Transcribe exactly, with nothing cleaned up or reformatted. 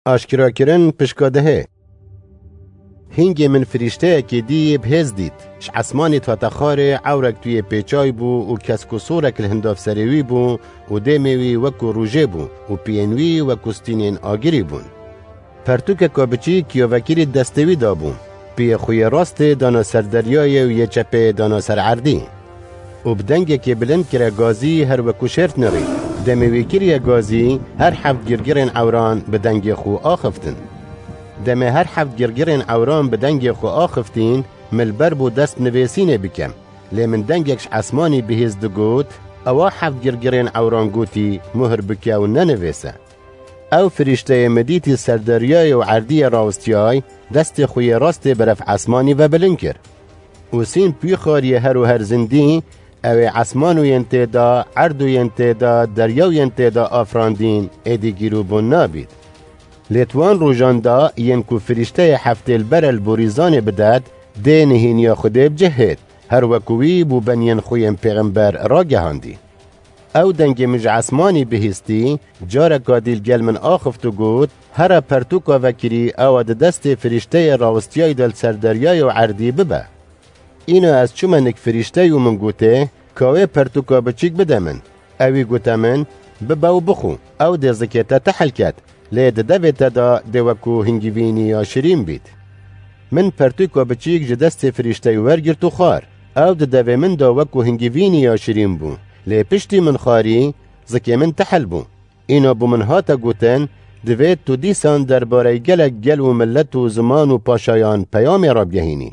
Aşkerakirin pişka dehê. Hingê min firîşteyekê dî yê bi hêz dît. Ji esmanê dihate xwarê, ewrek tu yê pêçay bû û kesk û sorek li hindav serê wî bû û dêmê wî wekû rûjê bû û piyên wî wekû stînên agirî bûn. Pertûkeka biçîk ya vekirî destê wî dabû. Piyê xwe yê rastê dana ser deryayê û yê çepê dana ser erdî. Û bi dengekê bilind kire gazî, her wekû şêrt nirî. Demê wî kiriye gazî, her heft girgirên ewran bi dengê xwe axiftin. Demê her heft girgirên ewran bi dengê xwe axiftin, min li ber bû dest nivêsînê bikem. Lê min dengek ji esmanî bihîst digot, ewa heft girgirên ewran gotî, muhir bike û nenivêse. Ew firîşteyê min dîtî ser deryayê û erdiyê rawistiyay, destê xwe yê rastê berev esmanî ve bilind kir. Û sîn pûyxariyê her û her zindî, ew ê esman û yên tê de, erd û yên tê de, derya û yên tê de afirandîn, êdî gîrûbûn nabît. Lê di wan rojan de yên ku firîşteyê heftê li ber e li borîzanê bidet, dê nihêniya Xwedê bi cih hêt, her wekû wî bû beniyên xwe yên pêxember ragehandî. Ew dengê min ji esmanî bihîstî, careka dî li gel min axift û got, here pertûka vekirî ewa di destê firîşteyê rawistiyayî de li ser deryayê û erdî bibe. Îna ez çûme nik firîşteyî û min gotê, ka wê pertûka biçîk bide min. Ewî gote min, bibe û bixwe, ew dê zikê te tehil ket, lê di devê te de dê wekû hingivînî ya şirîn bît. Min pertûka biçîk ji destê firîşteyî wergirt û xwar. Ew di devê min de wekû hingivînî ya şirîn bû. Lê piştî min xwarî, zikê min tehil bû. Îna bo min hate gotin, divê tu dîsan derbarey gelek gel û milet û ziman û paşayan peyamê rabgehînî.